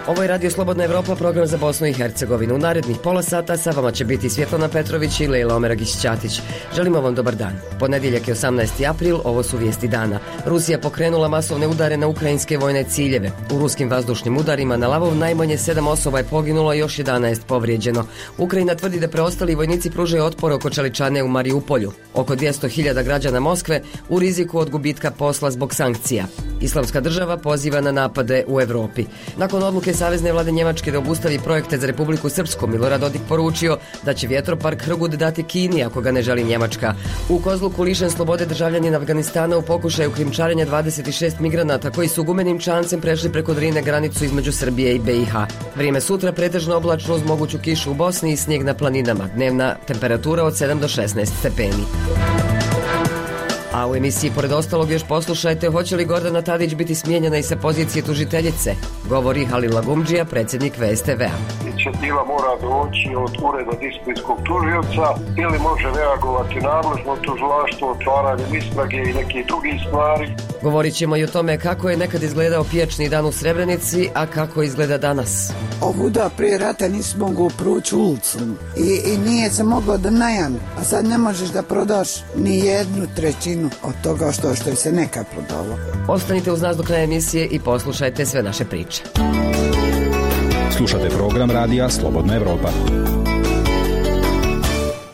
Ovo je Radio Slobodna Evropa, program za Bosnu i Hercegovinu. U narednih pola sata sa vama će biti Svjetlana Petrović i Lejla Omeragić-Ćatić. Želimo vam dobar dan. Ponedjeljak je 18. april, ovo su vijesti dana. Rusija pokrenula masovne udare na ukrajinske vojne ciljeve. U ruskim vazdušnim udarima na Lavov najmanje 7 osoba je poginulo, još 11 povrijeđeno. Ukrajina tvrdi da preostali vojnici pružaju otpor oko čeličane u Mariupolju. Oko 200.000 građana Moskve u riziku od gubitka posla zbog sankcija. Islamska država poziva na napade u Europi. Nakon odluke Savezne vlade Njemačke da obustavi projekte za Republiku Srpsku, Milorad Dodik poručio da će vjetropark Hrgud dati Kini ako ga ne želi Njemačka. U Kozluku lišen slobode državljanin Afganistana u pokušaju krijumčarenja 26 migranata koji su gumenim čamcem prešli preko Drine granicu između Srbije i BiH. Vrijeme sutra pretežno oblačno uz moguću kišu u Bosni i snijeg na planinama. Dnevna temperatura od 7 do 16 stepeni. A u emisiji pored ostalog još poslušajte hoće li Gordana Tadić biti smijenjena i sa pozicije tužiteljice. Govori Halil Lagumdžija, predsjednik VSTV-a. Inicijativa mora doći od ureda disciplinskog tužioca ili može reagovati nadležno tužilaštvo otvaranjem istrage i nekih drugih stvari. Govorit ćemo i o tome kako je nekad izgledao pijačni dan u Srebrenici, a kako izgleda danas. Ovuda prije rata nisi mogao proći ulicu i nije se moglo da najami, a sad ne možeš da prodaš ni 1/3 od toga što je se nekad prodalo. Ostanite uz nas do kraja emisije i poslušajte sve naše priče. Slušate program radija Slobodna Evropa.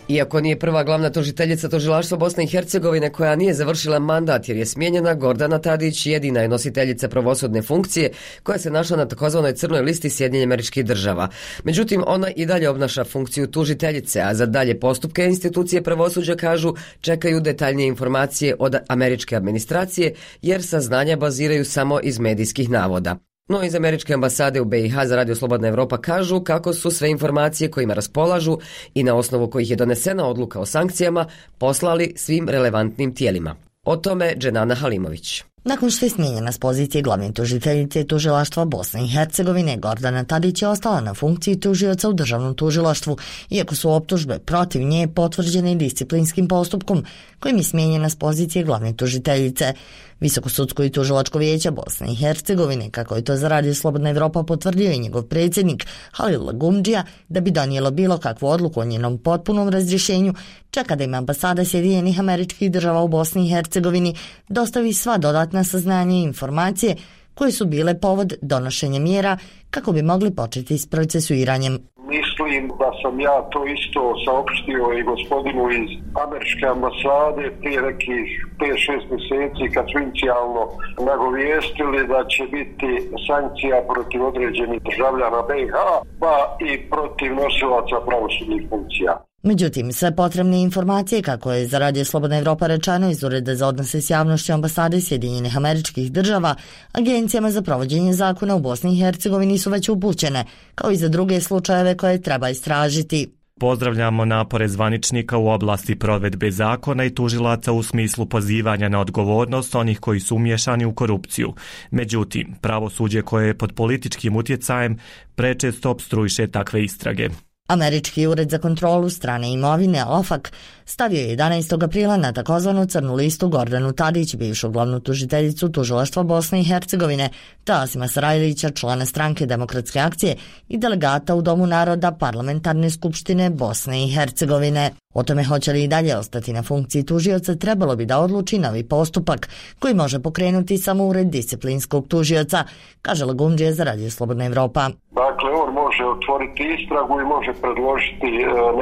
Iako nije prva glavna tužiteljica tužilaštva Bosne i Hercegovine koja nije završila mandat jer je smijenjena, Gordana Tadić jedina je nositeljica pravosudne funkcije koja se našla na takozvanoj crnoj listi Sjedinjenih Američkih Država. Međutim, ona i dalje obnaša funkciju tužiteljice, a za dalje postupke institucije pravosuđa, kažu, čekaju detaljnije informacije od američke administracije jer saznanja baziraju samo iz medijskih navoda. No iz američke ambasade u BiH za Radio Slobodna Evropa kažu kako su sve informacije kojima raspolažu i na osnovu kojih je donesena odluka o sankcijama poslali svim relevantnim tijelima. O tome Dženana Halimović. Nakon što je smijenjena s pozicije glavne tužiteljice tužilaštva Bosne i Hercegovine, Gordana Tadić je ostala na funkciji tužioca u državnom tužilaštvu, iako su optužbe protiv nje potvrđene disciplinskim postupkom kojim je smijenjena s pozicije glavne tužiteljice. Visokosudsko i tužilačko vijeće Bosne i Hercegovine, kako je to za Radio Slobodna Evropa potvrdio i njegov predsjednik Halil Lagumdžija, da bi donijelo bilo kakvu odluku o njenom potpunom razrješenju, čeka da im ambasada Sjedinjenih Američkih Država u Bosni i Hercegovini dostavi sva dodatna saznanja i informacije koje su bile povod donošenja mjera kako bi mogli početi s procesuiranjem. Mislim da sam ja to isto saopštio i gospodinu iz američke ambasade prije nekih 5-6 mjeseci kad su inicijalno nagovijestili da će biti sankcija protiv određenih državljana BiH pa i protiv nosilaca pravosudnih funkcija. Međutim, sve potrebne informacije, kako je za Radio Slobodna Evropa rečeno iz Ureda za odnose s javnošću ambasade Sjedinjenih Američkih Država, agencijama za provođenje zakona u Bosni i Hercegovini su već upućene, kao i za druge slučajeve koje treba istražiti. Pozdravljamo napore zvaničnika u oblasti provedbe zakona i tužilaca u smislu pozivanja na odgovornost onih koji su umiješani u korupciju. Međutim, pravosuđe koje je pod političkim utjecajem prečesto opstruiše takve istrage. Američki ured za kontrolu strane imovine OFAC stavio je 11. aprila na takozvanu crnu listu Gordanu Tadić, bivšu glavnu tužiteljicu tužilaštva Bosne i Hercegovine, te Asima Sarajlića, člana stranke Demokratske akcije i delegata u Domu naroda Parlamentarne skupštine Bosne i Hercegovine. O tome hoće li i dalje ostati na funkciji tužioca trebalo bi da odluči novi postupak koji može pokrenuti samo ured disciplinskog tužioca, kaže Lagumdžija za Radio Slobodna Evropa. Dakle, on može otvoriti istragu i može predložiti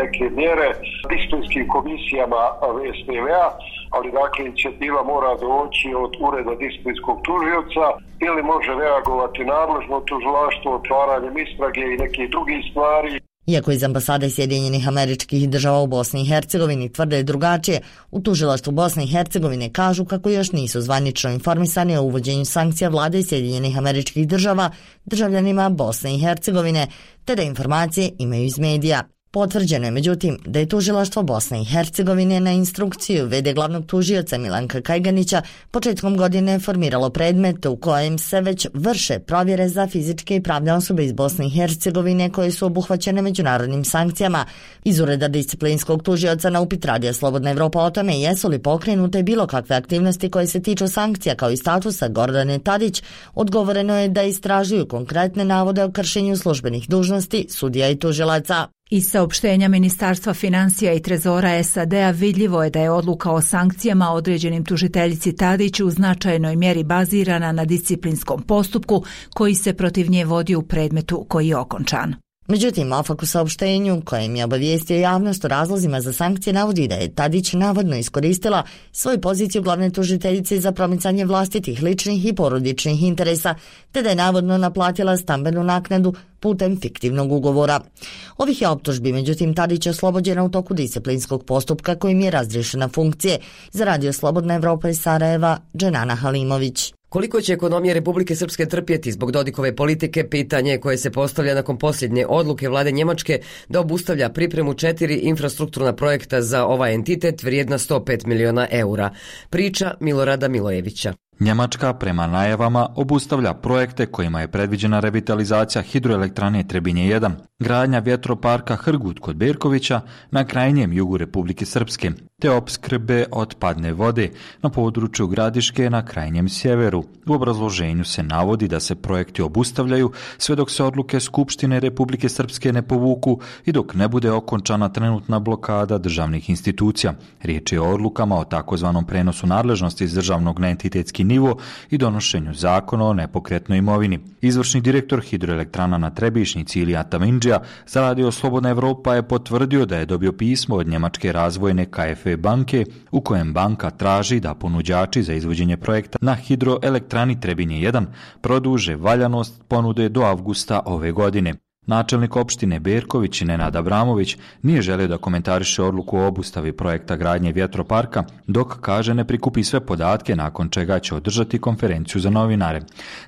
neke mjere disciplinskim komisijama VSTV-a, ali dakle inicijativa mora doći od ureda disciplinskog tužioca ili može reagovati nadležno tužilaštvo otvaranjem istrage i nekih drugih stvari. Iako iz ambasade Sjedinjenih Američkih Država u Bosni i Hercegovini tvrde drugačije, u tužilaštvu Bosne i Hercegovine kažu kako još nisu zvanično informisani o uvođenju sankcija vlade Sjedinjenih Američkih Država državljanima Bosne i Hercegovine, te da informacije imaju iz medija. Potvrđeno je međutim da je tužilaštvo Bosne i Hercegovine na instrukciju v.d. glavnog tužioca Milanka Kajganića početkom godine formiralo predmet u kojem se već vrše provjere za fizičke i pravne osobe iz Bosne i Hercegovine koje su obuhvaćene međunarodnim sankcijama. Iz ureda disciplinskog tužioca na upit Radija Slobodna Evropa o tome jesu li pokrenute bilo kakve aktivnosti koje se tiču sankcija kao i statusa Gordane Tadić, odgovoreno je da istražuju konkretne navode o kršenju službenih dužnosti sudija i tužilaca. Iz saopštenja Ministarstva financija i trezora SAD-a vidljivo je da je odluka o sankcijama određenim tužiteljici Tadić u značajnoj mjeri bazirana na disciplinskom postupku koji se protiv nje vodi u predmetu koji je okončan. Međutim, OFAC u saopštenju kojem je obavijestio javnost o razlozima za sankcije navodi da je Tadić navodno iskoristila svoju poziciju glavne tužiteljice za promicanje vlastitih ličnih i porodičnih interesa, te da je navodno naplatila stambenu naknadu putem fiktivnog ugovora. Ovih je optužbi, međutim, Tadić oslobođena u toku disciplinskog postupka kojim je razriješena funkcije. Za Radio Slobodna Evropa iz Sarajeva, Dženana Halimović. Koliko će ekonomija Republike Srpske trpjeti zbog Dodikove politike, pitanje koje se postavlja nakon posljednje odluke vlade Njemačke da obustavlja pripremu 4 infrastrukturna projekta za ovaj entitet vrijedna 105 miliona eura. Priča Milorada Milojevića. Njemačka prema najavama obustavlja projekte kojima je predviđena revitalizacija hidroelektrane Trebinje 1, gradnja vjetroparka Hrgut kod Berkovića na krajnjem jugu Republike Srpske, te opskrbe otpadne vode na području Gradiške na krajnjem sjeveru. U obrazloženju se navodi da se projekti obustavljaju sve dok se odluke Skupštine Republike Srpske ne povuku i dok ne bude okončana trenutna blokada državnih institucija. Riječ je o odlukama o takozvanom prenosu nadležnosti iz državnog na entitetski nivo i donošenju zakona o nepokretnoj imovini. Izvršni direktor hidroelektrana na Trebišnjici Ilija Tamindžija za Radio Slobodna Evropa je potvrdio da je dobio pismo od njemačke razvojne KfW banke u kojem banka traži da ponuđači za izvođenje projekta na hidroelektrani Trebinje 1 produže valjanost ponude do avgusta ove godine. Načelnik opštine Berković Nenad Abramović nije želio da komentariše odluku o obustavi projekta gradnje vjetroparka, dok kaže ne prikupi sve podatke, nakon čega će održati konferenciju za novinare.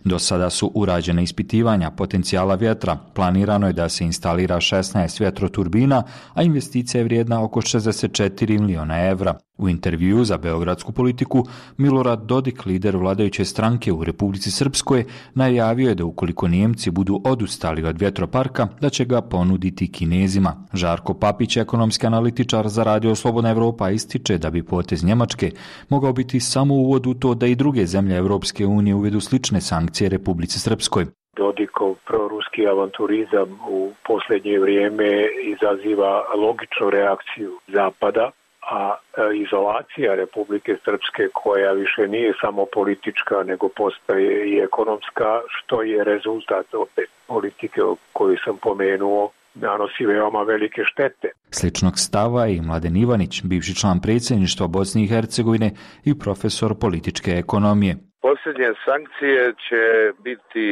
Do sada su urađene ispitivanja potencijala vjetra. Planirano je da se instalira 16 vjetroturbina, a investicija je vrijedna oko 64 miliona evra. U intervjuu za Beogradsku politiku, Milorad Dodik, lider vladajuće stranke u Republici Srpskoj, najavio je da ukoliko Nijemci budu odustali od vjetroparka, da će ga ponuditi Kinezima. Žarko Papić, ekonomski analitičar za Radio Slobodna Evropa, ističe da bi potez Njemačke mogao biti samo uvod u to da i druge zemlje Evropske unije uvedu slične sankcije Republici Srpskoj. Dodikov proruski avanturizam u posljednje vrijeme izaziva logičnu reakciju Zapada, a izolacija Republike Srpske, koja više nije samo politička nego postaje i ekonomska, što je rezultat opet politike koju sam pomenuo, nanosi veoma velike štete. Sličnog stava i Mladen Ivanić, bivši član predsjedništva Bosne i Hercegovine i profesor političke ekonomije. Posljednje sankcije će biti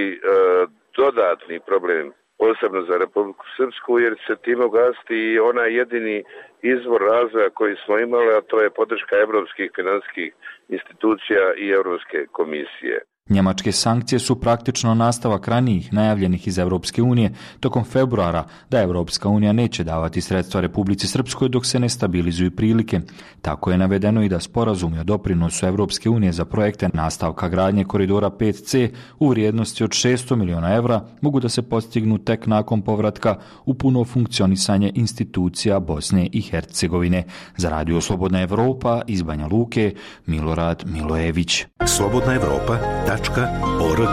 dodatni problem, posebno za Republiku Srpsku, jer se time ugasiti i onaj jedini izvor razvoja koji smo imali, a to je podrška evropskih finansijskih institucija i Europske komisije. Njemačke sankcije su praktično nastavak ranijih najavljenih iz Europske unije tokom februara da Europska unija neće davati sredstva Republici Srpskoj dok se ne stabilizuju prilike. Tako je navedeno i da sporazumi o doprinosu Europske unije za projekte nastavka gradnje koridora 5C u vrijednosti od 600 miliona evra mogu da se postignu tek nakon povratka u puno funkcionisanje institucija Bosne i Hercegovine. Za Radio Slobodna Evropa iz Banja Luke, Milorad Milojević. Slobodna Evropa. .org.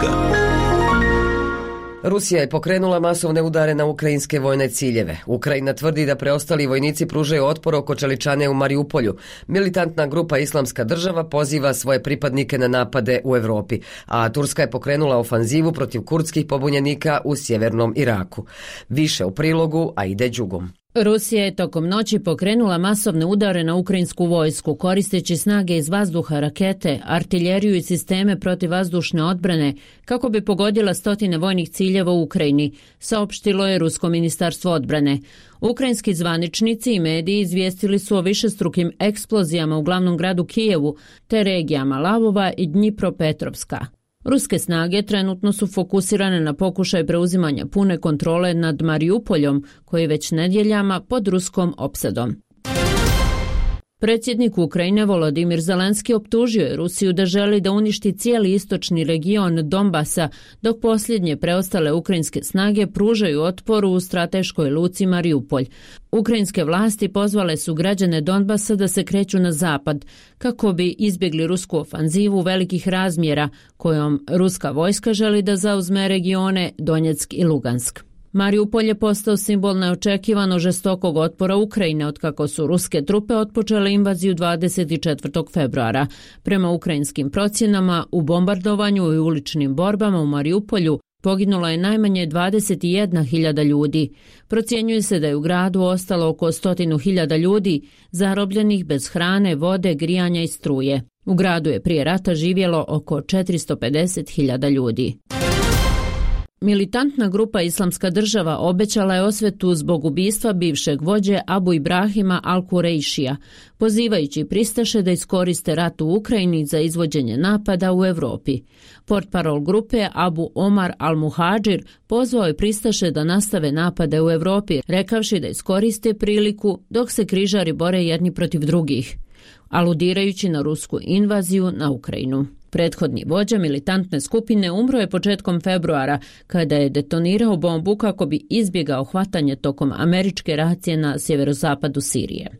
Rusija je pokrenula masovne udare na ukrajinske vojne ciljeve. Ukrajina tvrdi da preostali vojnici pružaju otpor oko čeličane u Mariupolju. Militantna grupa Islamska država poziva svoje pripadnike na napade u Europi, a Turska je pokrenula ofanzivu protiv kurdskih pobunjenika u sjevernom Iraku. Više u prilogu Aide Đugom. Rusija je tokom noći pokrenula masovne udare na ukrajinsku vojsku, koristeći snage iz vazduha, rakete, artiljeriju i sisteme protivvazdušne odbrane, kako bi pogodila stotine vojnih ciljeva u Ukrajini, saopštilo je Rusko ministarstvo odbrane. Ukrajinski zvaničnici i mediji izvijestili su o višestrukim eksplozijama u glavnom gradu Kijevu, te regijama Lavova i Dnjipropetrovska. Ruske snage trenutno su fokusirane na pokušaj preuzimanja pune kontrole nad Mariupoljom, koji je već nedjeljama pod ruskom opsadom. Predsjednik Ukrajine Volodimir Zelenski optužio je Rusiju da želi da uništi cijeli istočni region Donbasa, dok posljednje preostale ukrajinske snage pružaju otpor u strateškoj luci Mariupolj. Ukrajinske vlasti pozvale su građane Donbasa da se kreću na zapad, kako bi izbjegli rusku ofanzivu velikih razmjera, kojom ruska vojska želi da zauzme regione Donjeck i Lugansk. Mariupol je postao simbol neočekivano žestokog otpora Ukrajine otkako su ruske trupe otpočele invaziju 24. februara. Prema ukrajinskim procjenama, u bombardovanju i uličnim borbama u Mariupolju poginulo je najmanje 21.000 ljudi. Procjenjuje se da je u gradu ostalo oko 100.000 ljudi, zarobljenih bez hrane, vode, grijanja i struje. U gradu je prije rata živjelo oko 450.000 ljudi. Militantna grupa Islamska država obećala je osvetu zbog ubistva bivšeg vođe Abu Ibrahima al-Kurejšija, pozivajući pristaše da iskoriste rat u Ukrajini za izvođenje napada u Europi. Portparol grupe Abu Omar al-Muhadžir pozvao je pristaše da nastave napade u Europi, rekavši da iskoriste priliku dok se križari bore jedni protiv drugih, aludirajući na rusku invaziju na Ukrajinu. Prethodni vođa militantne skupine umro je početkom februara kada je detonirao bombu kako bi izbjegao hvatanje tokom američke racije na sjeverozapadu Sirije.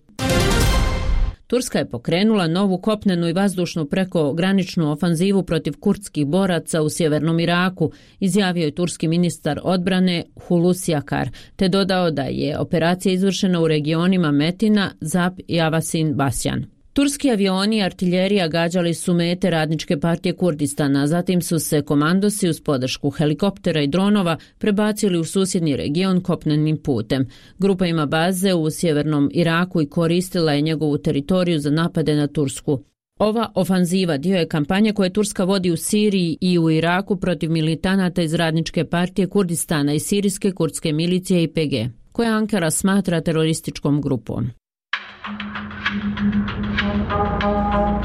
Turska je pokrenula novu kopnenu i vazdušnu prekograničnu ofanzivu protiv kurdskih boraca u sjevernom Iraku, izjavio je turski ministar odbrane Hulusi Akar, te dodao da je operacija izvršena u regionima Metina, Zab i Avasin Basjan. Turski avioni i artiljerija gađali su mete Radničke partije Kurdistana, zatim su se komandosi uz podršku helikoptera i dronova prebacili u susjedni region kopnenim putem. Grupa ima baze u sjevernom Iraku i koristila je njegovu teritoriju za napade na Tursku. Ova ofanziva dio je kampanje koje Turska vodi u Siriji i u Iraku protiv militanata iz Radničke partije Kurdistana i sirijske kurdske milicije YPG, koje Ankara smatra terorističkom grupom.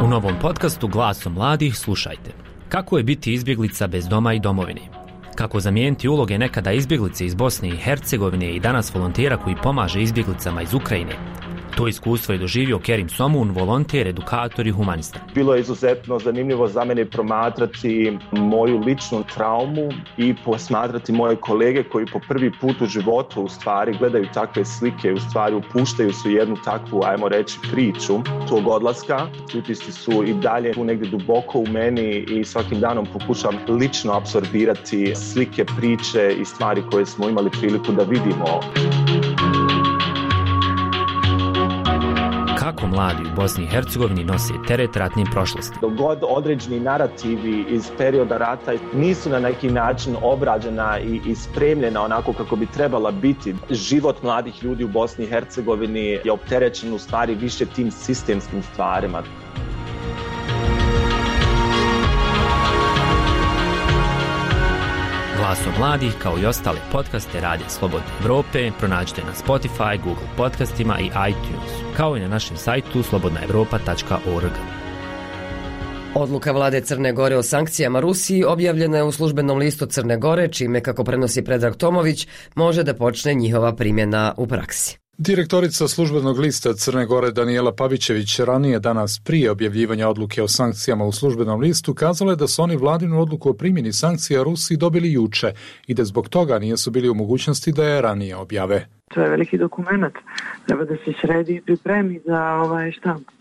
U novom podcastu Glasom mladih slušajte: kako je biti izbjeglica bez doma i domovine, kako zamijeniti uloge nekada izbjeglice iz Bosne i Hercegovine i danas volontera koji pomaže izbjeglicama iz Ukrajine. To iskustvo je doživio Kerim Somun, volonter, edukator i humanista. Bilo je izuzetno zanimljivo za mene promatrati moju ličnu traumu i posmatrati moje kolege koji po prvi put u životu u stvari gledaju takve slike, u stvari upuštaju su jednu takvu, ajmo reći, priču tog odlaska. Utisci su i dalje tu negdje duboko u meni i svakim danom pokušavam lično apsorbirati slike, priče i stvari koje smo imali priliku da vidimo. Kako mladi u Bosni i Hercegovini nose teret ratnim prošlosti. Dok god određeni narativi iz perioda rata nisu na neki način obrađena i spremljena onako kako bi trebala biti, život mladih ljudi u Bosni i Hercegovini je opterećen u stvari više tim sistemskim stvarima. Glasom mladih, kao i ostale podcaste Radija Slobodne Evrope, pronađite na Spotify, Google podcastima i iTunesu, kao i na našem sajtu slobodnaevropa.org. Odluka vlade Crne Gore o sankcijama Rusiji objavljena je u službenom listu Crne Gore, čime, kako prenosi Predrag Tomović, može da počne njihova primjena u praksi. Direktorica službenog lista Crne Gore Danijela Pavićević ranije danas prije objavljivanja odluke o sankcijama u službenom listu kazala je da su oni vladinu odluku o primjeni sankcija Rusiji dobili juče i da zbog toga nisu bili u mogućnosti da je ranije objave. To je veliki dokument, treba da se sredi i pripremi za štampu.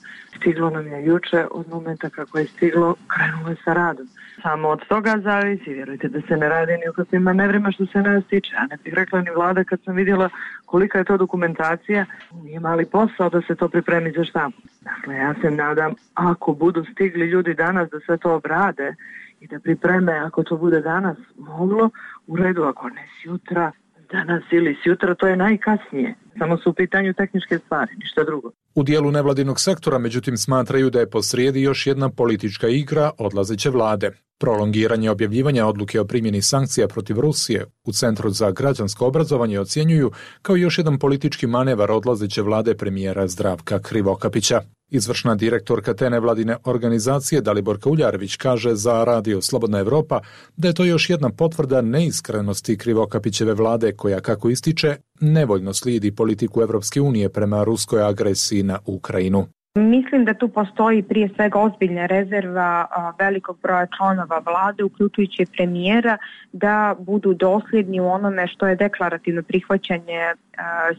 Stiglo nam je juče, od momenta kako je stiglo, krenulo je sa radom. Samo od toga zavisi, vjerujte da se ne radi ni u kakvim manevrima što se nas tiče. A ne bih rekla ni vlada kad sam vidjela kolika je to dokumentacija, nije mali posao da se to pripremi za štampu. Dakle, ja se nadam, ako budu stigli ljudi danas da sve to obrade i da pripreme, ako to bude danas moglo, u redu, ako ne sjutra, danas ili sjutra, to je najkasnije. Samo su u pitanju tehničke stvari, ništa drugo. U dijelu nevladinog sektora, međutim, smatraju da je posrijedi još jedna politička igra odlazeće vlade. Prolongiranje objavljivanja odluke o primjeni sankcija protiv Rusije u Centru za građansko obrazovanje ocjenjuju kao još jedan politički manevar odlazeće vlade premijera Zdravka Krivokapića. Izvršna direktorka te nevladine organizacije Daliborka Uljarević kaže za Radio Slobodna Evropa da je to još jedna potvrda neiskrenosti Krivokapićeve vlade koja, kako ističe, nevoljno slijedi politiku Evropske unije prema ruskoj agresiji na Ukrajinu. Mislim da tu postoji prije svega ozbiljna rezerva velikog broja članova vlade, uključujući premijera, da budu dosljedni u onome što je deklarativno prihvaćanje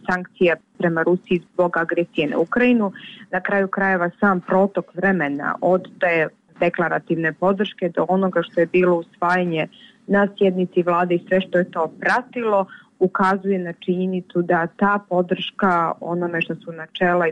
sankcija prema Rusiji zbog agresije na Ukrajinu. Na kraju krajeva sam protok vremena od te deklarativne podrške do onoga što je bilo usvajanje na sjednici vlade i sve što je to pratilo, ukazuje na činjenicu da ta podrška onome što su načela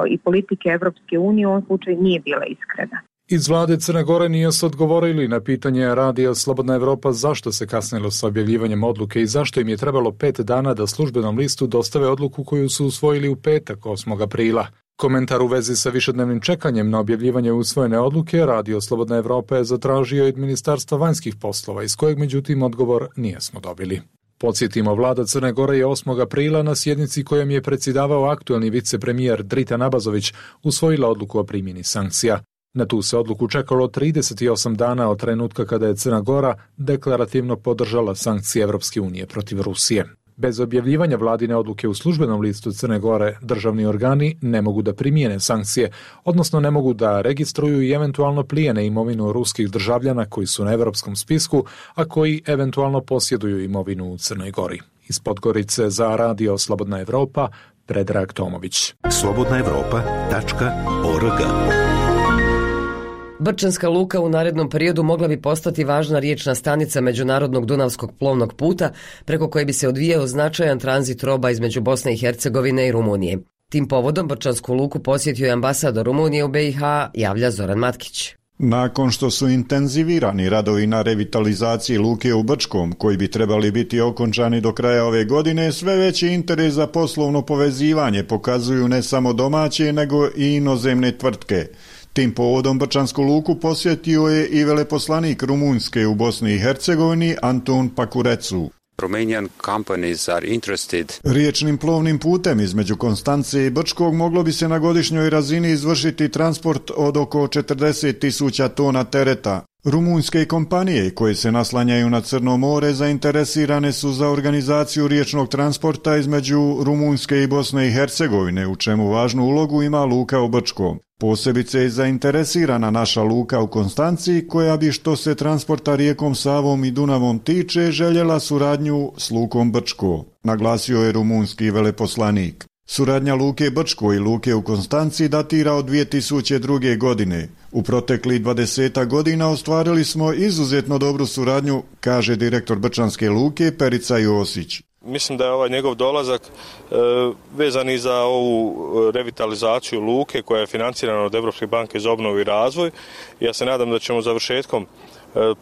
i politike Evropske unije u ovom slučaju nije bila iskrena. Iz vlade Crne Gore nije se odgovorili na pitanje Radija Slobodna Evropa zašto se kasnilo sa objavljivanjem odluke i zašto im je trebalo 5 dana da službenom listu dostave odluku koju su usvojili u petak 8. aprila. Komentar u vezi sa višednevnim čekanjem na objavljivanje usvojene odluke Radio Slobodna Evropa je zatražio od Ministarstva vanjskih poslova, iz kojeg međutim odgovor nijesmo dobili. Podsjetimo, vlada Crne Gore je 8. aprila na sjednici kojom je predsjedavao aktuelni vicepremijer Dritan Abazović usvojila odluku o primjeni sankcija. Na tu se odluku čekalo 38 dana od trenutka kada je Crna Gora deklarativno podržala sankcije Evropske unije protiv Rusije. Bez objavljivanja vladine odluke u službenom listu Crne Gore, državni organi ne mogu da primijene sankcije, odnosno ne mogu da registruju i eventualno plijene imovinu ruskih državljana koji su na evropskom spisku, a koji eventualno posjeduju imovinu u Crnoj Gori. Iz Podgorice za Radio Slobodna Evropa, Predrag Tomović. slobodnaevropa.org. Brčanska luka u narednom periodu mogla bi postati važna riječna stanica međunarodnog Dunavskog plovnog puta preko koje bi se odvijao značajan tranzit roba između Bosne i Hercegovine i Rumunije. Tim povodom Brčansku luku posjetio je ambasador Rumunije u BiH, javlja Zoran Matkić. Nakon što su intenzivirani radovi na revitalizaciji luke u Brčkom, koji bi trebali biti okončani do kraja ove godine, sve veći interes za poslovno povezivanje pokazuju ne samo domaće, nego i inozemne tvrtke. Tim povodom Brčansku luku posjetio je i veleposlanik Rumunjske u Bosni i Hercegovini Antun Pakurecu. Romanian companies are interested. Riječnim plovnim putem između Konstance i Brčkog moglo bi se na godišnjoj razini izvršiti transport od oko 40.000 tona tereta. Rumunjske kompanije koje se naslanjaju na Crno more zainteresirane su za organizaciju riječnog transporta između Rumunjske i Bosne i Hercegovine, u čemu važnu ulogu ima luka u Brčkom. Posebice je zainteresirana naša luka u Konstanciji, koja bi što se transporta rijekom Savom i Dunavom tiče željela suradnju s lukom Brčko, naglasio je rumunski veleposlanik. Suradnja luke Brčko i luke u Konstanciji datira od 2002. godine. U proteklih 20 godina ostvarili smo izuzetno dobru suradnju, kaže direktor Brčanske luke Perica Josić. Mislim da je ovaj njegov dolazak vezan i za ovu revitalizaciju luke koja je financirana od Evropske banke za obnovu i razvoj. Ja se nadam da ćemo završetkom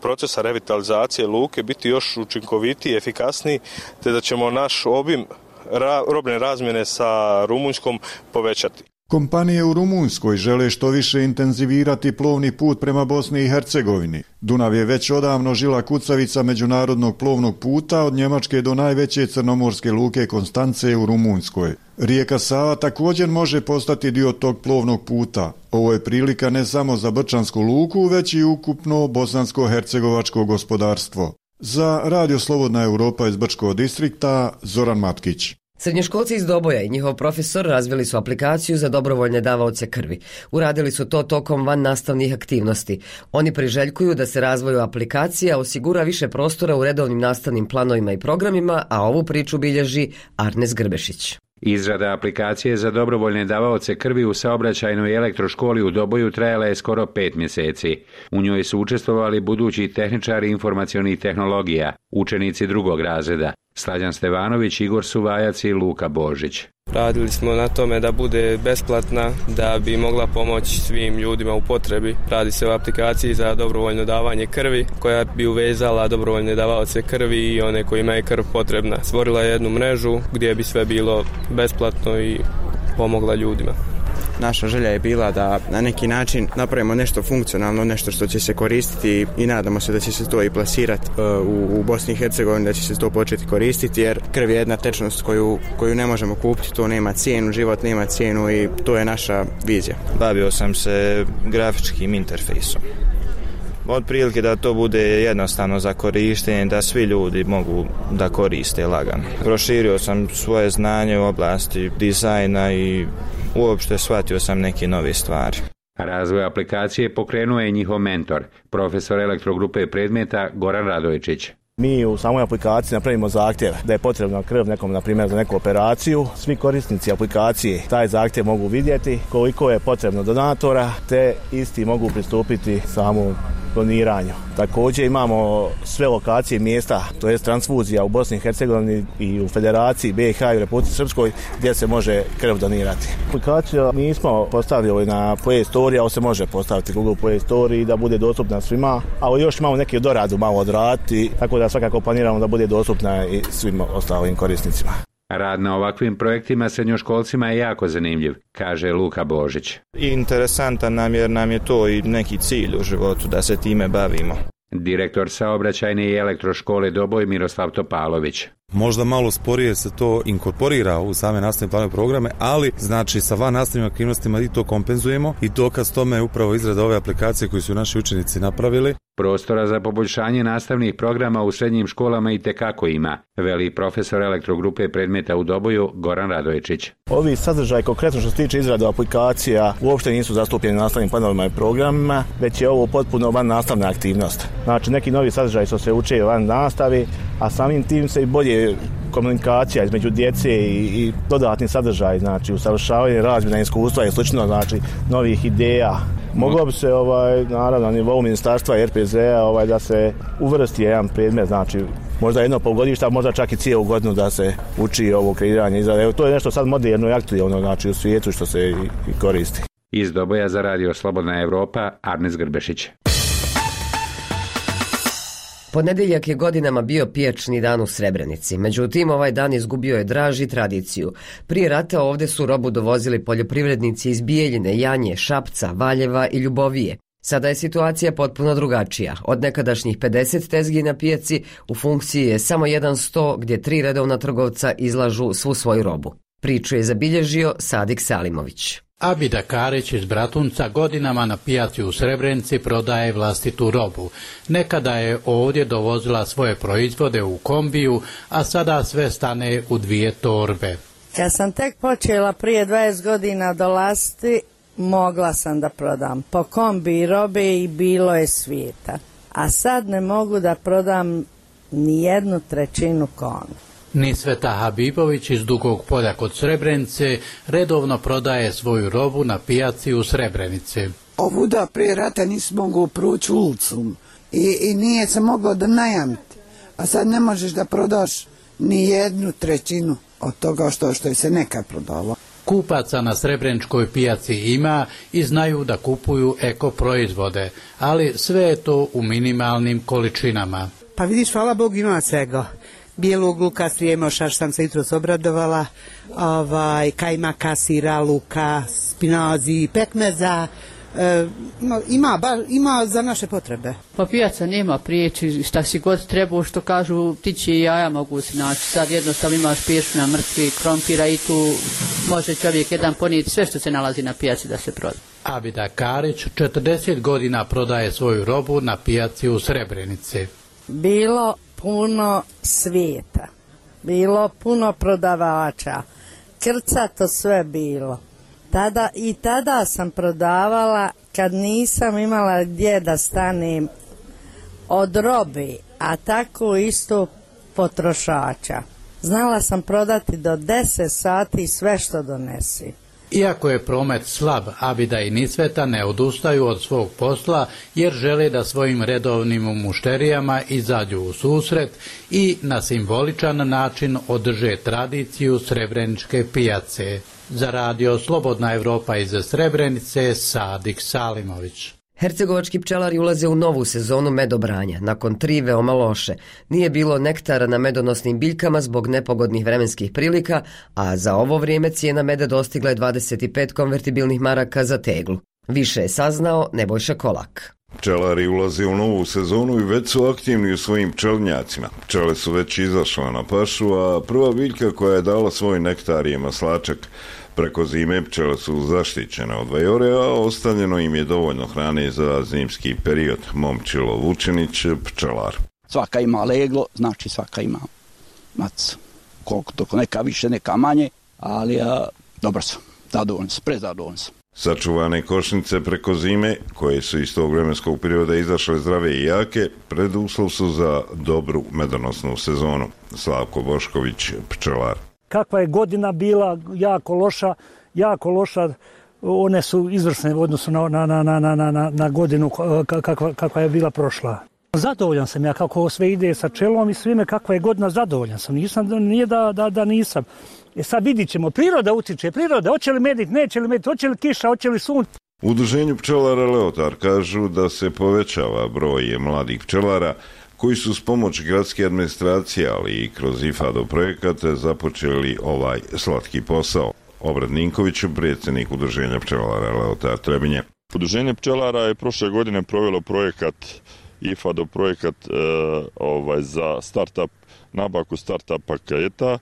procesa revitalizacije luke biti još učinkovitiji, efikasniji, te da ćemo naš obim robne razmjene sa Rumunjskom povećati. Kompanije u Rumunjskoj žele što više intenzivirati plovni put prema Bosni i Hercegovini. Dunav je već odavno žila kucavica međunarodnog plovnog puta od Njemačke do najveće crnomorske luke Konstance u Rumunjskoj. Rijeka Sava također može postati dio tog plovnog puta. Ovo je prilika ne samo za Brčansku luku, već i ukupno bosansko-hercegovačko gospodarstvo. Za Radio Slobodna Evropa iz Brčkog distrikta, Zoran Matkić. Srednjoškolci iz Doboja i njihov profesor razvili su aplikaciju za dobrovoljne davaoce krvi. Uradili su to tokom van nastavnih aktivnosti. Oni priželjkuju da se razvoju aplikacija osigura više prostora u redovnim nastavnim planovima i programima, a ovu priču bilježi Arnes Grbešić. Izrada aplikacije za dobrovoljne davaoce krvi u saobraćajnoj elektroškoli u Doboju trajala je skoro 5 mjeseci. U njoj su učestvovali budući tehničari informacionih tehnologija, učenici 2. razreda, Slađan Stevanović, Igor Suvajac i Luka Božić. Radili smo na tome da bude besplatna, da bi mogla pomoći svim ljudima u potrebi. Radi se o aplikaciji za dobrovoljno davanje krvi, koja bi uvezala dobrovoljne davaoce krvi i one kojima je krv potrebna. Stvorila je jednu mrežu gdje bi sve bilo besplatno i pomogla ljudima. Naša želja je bila da na neki način napravimo nešto funkcionalno, nešto što će se koristiti i nadamo se da će se to i plasirati u Bosni i Hercegovini, da će se to početi koristiti, jer krv je jedna tečnost koju ne možemo kupiti, to nema cijenu, život nema cijenu i to je naša vizija. Bavio sam se grafičkim interfejsom. Od prilike da to bude jednostavno za korištenje, da svi ljudi mogu da koriste lagano. Proširio sam svoje znanje u oblasti dizajna i uopšte shvatio sam neke nove stvari. Razvoj aplikacije pokrenuo je njihov mentor, profesor elektrogrupe predmeta Goran Radojčić. Mi u samoj aplikaciji napravimo zahtjev da je potrebna krv nekom, na primjer, za neku operaciju. Svi korisnici aplikacije taj zahtjev mogu vidjeti, koliko je potrebno donatora, te isti mogu pristupiti samu doniranju. Također imamo sve lokacije mjesta, to je transfuzija u Bosni i Hercegovini i u Federaciji BiH i u Republici Srpskoj gdje se može krv donirati. Aplikaciju nismo postavili na Play Store, ali se može postaviti Google Play Store i da bude dostupna svima, ali još imamo neki doradu malo odraditi, tako da svakako planiramo da bude dostupna i svim ostalim korisnicima. Rad na ovakvim projektima srednjoškolcima je jako zanimljiv, kaže Luka Božić. Interesantan nam jer nam je to i neki cilj u životu da se time bavimo. Direktor saobraćajne i elektroškole Doboj Miroslav Topalović. Možda malo sporije se to inkorporira u same nastavne planove programe, ali znači sa van nastavnim aktivnostima i to kompenzujemo i dokaz tome je upravo izrada ove aplikacije koju su naši učenici napravili. Prostora za poboljšanje nastavnih programa u srednjim školama itekako ima, veli profesor elektrogrupe predmeta u Doboju Goran Radojčić. Ovi sadržaj, konkretno što se tiče izrade aplikacija, uopšte nisu zastupljeni nastavnim planovima i programima, već je ovo potpuno van nastavna aktivnost. Znači neki novi sadržaj što se uče van nastavi, a samim tim se i bolje komunikacija između djece i dodatni sadržaj, znači usavršavanje, razmjena iskustva i slično, znači novih ideja. Moglo bi se naravno na nivou ministarstva i RPZ-a da se uvrsti jedan predmet, znači možda jedno polugodište, a možda čak i cijelu godinu da se uči ovo kreiranje izrade. To je nešto sad moderno i aktualno, znači u svijetu što se i koristi. Iz Doboja za radio Slobodna Evropa, Arnes Grbešić. Ponedjeljak je godinama bio pijačni dan u Srebrenici, međutim ovaj dan izgubio je draž i tradiciju. Prije rata ovdje su robu dovozili poljoprivrednici iz Bijeljine, Janje, Šapca, Valjeva i Ljubovije. Sada je situacija potpuno drugačija. Od nekadašnjih 50 tezgi na pijaci u funkciji je samo jedan sto gdje 3 redovna trgovca izlažu svu svoju robu. Priču je zabilježio Sadik Salimović. Abida Karić iz Bratunca godinama na pijaci u Srebrenici prodaje vlastitu robu. Nekada je ovdje dovozila svoje proizvode u kombiju, a sada sve stane u 2 torbe. Kad sam tek počela prije 20 godina dolaziti, mogla sam da prodam po kombi robe i bilo je svijeta. A sad ne mogu da prodam ni 1/3 konu. Nisveta Habibović iz Dugog Polja kod Srebrenice redovno prodaje svoju robu na pijaci u Srebrenici. Ovuda prije rata nisi mogao proći ulicom i nije se moglo da najamiti. A sad ne možeš da prodaš ni 1/3 od toga što je se nekad prodalo. Kupaca na Srebreničkoj pijaci ima i znaju da kupuju eko proizvode, ali sve je to u minimalnim količinama. Pa vidiš, hvala Bogu, ima svega. Bijelog luka, slijemoša, što sam se jutros obradovala, kajmaka, sira, luka, spinazi, pekmeza, ima za naše potrebe. Pa pijaca nema priječi, šta si god trebao, što kažu, ptići i jaja mogu se naći. Sad jednostavno imaš pješuna, mrtvi, krompira i tu može čovjek jedan ponijeti sve što se nalazi na pijaci da se proda. Abida Karić 40 godina prodaje svoju robu na pijaci u Srebrenici. Bilo puno svijeta, bilo puno prodavača, krcato sve bilo. Tada sam prodavala kad nisam imala gdje da stanem od robe, a tako isto potrošača. Znala sam prodati do 10 sati sve što donesi. Iako je promet slab, Abida i Nisveta ne odustaju od svog posla jer žele da svojim redovnim mušterijama izađu u susret i na simboličan način održe tradiciju Srebreničke pijace. Za radio Slobodna Evropa iz Srebrenice, Sadik Salimović. Hercegovački pčelari ulaze u novu sezonu medobranja. Nakon 3 veoma loše. Nije bilo nektara na medonosnim biljkama zbog nepogodnih vremenskih prilika, a za ovo vrijeme cijena meda dostigla je 25 konvertibilnih maraka za teglu. Više je saznao Nebojša Kolak. Pčelari ulaze u novu sezonu i već su aktivni u svojim pčelnjacima. Pčele su već izašle na pašu, a prva biljka koja je dala svoj nektar je maslačak. Preko zime pčele su zaštićene od vajore, a ostavljeno im je dovoljno hrane za zimski period. Momčilo Vučinić, pčelar. Svaka ima leglo, znači svaka ima mac. Koliko to, neka više, neka manje, ali dobro sam, zadovoljan sam, prezadovoljan sam. Sačuvane košnice preko zime, koje su iz tog vremenskog perioda izašle zdrave i jake, preduslov su za dobru medonosnu sezonu. Slavko Bošković, pčelar. Kakva je godina bila, jako loša, one su izvrsne u odnosu na godinu kakva je bila prošla. Zadovoljan sam ja kako sve ide sa pčelom i svime, kakva je godina, zadovoljan sam. Nije da nisam. Sad vidit ćemo, priroda utiče, hoće li medit, neće li medit, hoće li kiša, hoće li sunce. U Udruženju pčelara Leotar kažu da se povećava broj mladih pčelara koji su s pomoć gradske administracije, ali i kroz IFADO projekate započeli ovaj slatki posao. Obred Ninković, predsjednik Udruženja pčelara Leotar Trebinje. Udruženje pčelara je prošle godine provelo projekat IFADO projekat za startup, nabavku startup paketa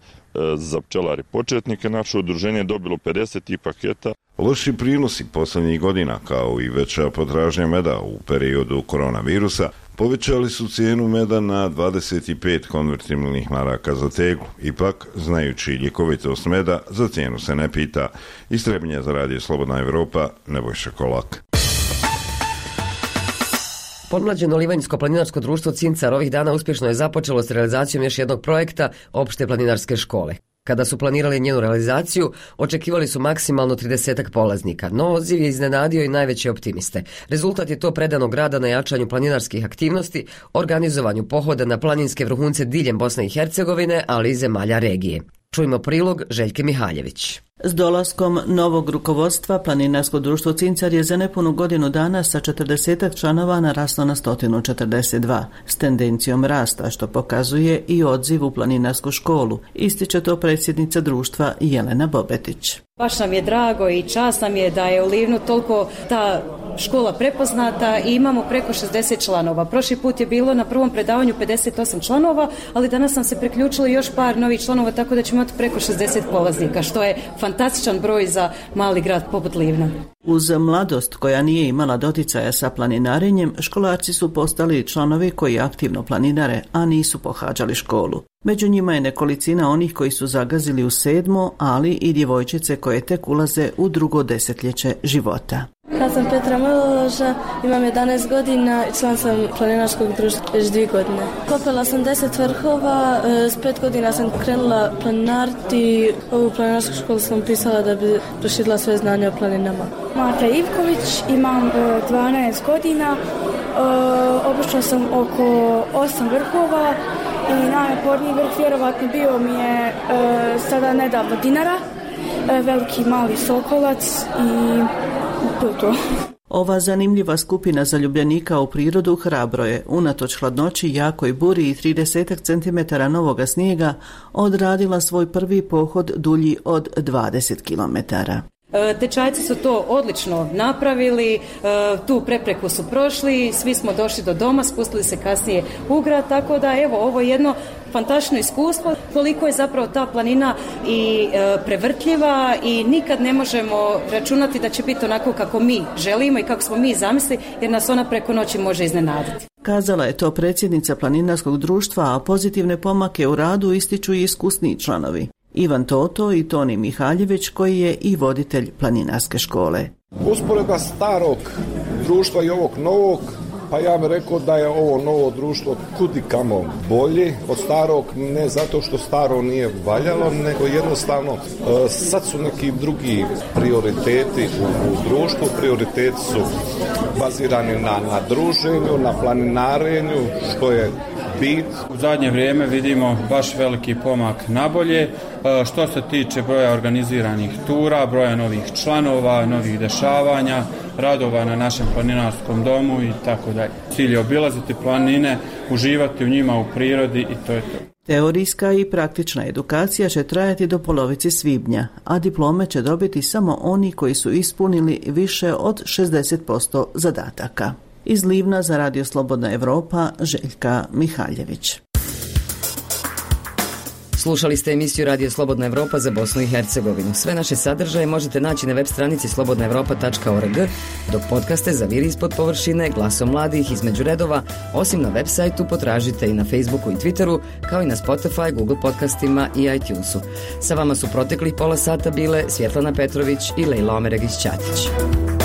za pčelari početnike. Naše udruženje je dobilo 50 paketa. Loši prinosi posljednjih godina, kao i veća potražnja meda u periodu koronavirusa, povećali su cijenu meda na 25 konvertibilnih maraka za teglu. Ipak, znajući ljekovitost meda, za cijenu se ne pita. Iz Trebinja za Radio Slobodna Evropa, Nebojša Kolak. Podmlađeno Livanjsko-planinarsko društvo Cincar ovih dana uspješno je započelo s realizacijom još jednog projekta opšte planinarske škole. Kada su planirali njenu realizaciju, očekivali su maksimalno 30 polaznika, no odziv je iznenadio i najveće optimiste. Rezultat je to predanog rada na jačanju planinarskih aktivnosti, organizovanju pohoda na planinske vrhunce diljem Bosne i Hercegovine, ali i zemalja regije. Čujmo prilog Željke Mihaljević. S dolaskom novog rukovodstva Planinarsko društvo Cincar je za nepunu godinu dana sa 40 članova naraslo na 142, s tendencijom rasta, što pokazuje i odziv u planinarsku školu, ističe to predsjednica društva Jelena Bobetić. Baš nam je drago i čast nam je da je u Livnu toliko ta škola prepoznata i imamo preko 60 članova. Prošli put je bilo na prvom predavanju 58 članova, ali danas nam se priključilo još par novih članova, tako da ćemo imati preko 60 polaznika, što je fantastičan broj za mali grad poput Livna. Uz mladost koja nije imala doticaja sa planinarenjem, školarci su postali članovi koji aktivno planinare, a nisu pohađali školu. Među njima je nekolicina onih koji su zagazili u 7., ali i djevojčice koje tek ulaze u drugo desetljeće života. Ja sam Petra Maloloža, imam 11 godina i član sam planinarskog društva već 2 godine. Popela sam 10 vrhova, s 5 godina sam krenula planinariti. Ovu planinarsku školu sam pisala da bi proširila svoje znanje o planinama. Mata Ivković, imam 12 godina, obišla sam oko 8 vrhova i najnaporniji vrh vjerovatno bio mi je sada nedavno Dinara, veliki mali Sokolac i to. Ova zanimljiva skupina zaljubljenika u prirodu hrabro je, unatoč hladnoći, jakoj buri i 30 cm novoga snijega, odradila svoj prvi pohod dulji od 20 km. Tečajci su to odlično napravili, tu prepreku su prošli, svi smo došli do doma, spustili se kasnije u grad, tako da evo, ovo je jedno fantastično iskustvo, koliko je zapravo ta planina i prevrtljiva i nikad ne možemo računati da će biti onako kako mi želimo i kako smo mi zamislili, jer nas ona preko noći može iznenaditi. Kazala je to predsjednica Planinarskog društva, a pozitivne pomake u radu ističu i iskusniji članovi. Ivan Toto i Toni Mihaljević, koji je i voditelj planinarske škole. Usporedba starog društva i ovog novog, pa ja bih rekao da je ovo novo društvo kudikamo bolje od starog, ne zato što staro nije valjalo, nego jednostavno sad su neki drugi prioriteti u društvu. Prioriteti su bazirani na druženju, na planinarenju, što je bit. U zadnje vrijeme vidimo baš veliki pomak nabolje. Što se tiče broja organiziranih tura, broja novih članova, novih dešavanja, radova na našem planinarskom domu i tako dalje. Cilj je obilaziti planine, uživati u njima u prirodi i to je to. Teorijska i praktična edukacija će trajati do polovice svibnja, a diplome će dobiti samo oni koji su ispunili više od 60% zadataka. Iz Livna za Radio Slobodna Evropa, Željka Mihaljević. Slušali ste emisiju Radio Slobodna Evropa za Bosnu i Hercegovinu. Sve naše sadržaje možete naći na web stranici slobodnaevropa.org, dok podcaste za Vir ispod površine, Glasom mladih, Između redova, osim na web sajtu potražite i na Facebooku i Twitteru, kao i na Spotify, Google podcastima i iTunesu. Sa vama su proteklih pola sata bile Svjetlana Petrović i Lejla Omeregić-Ćatić.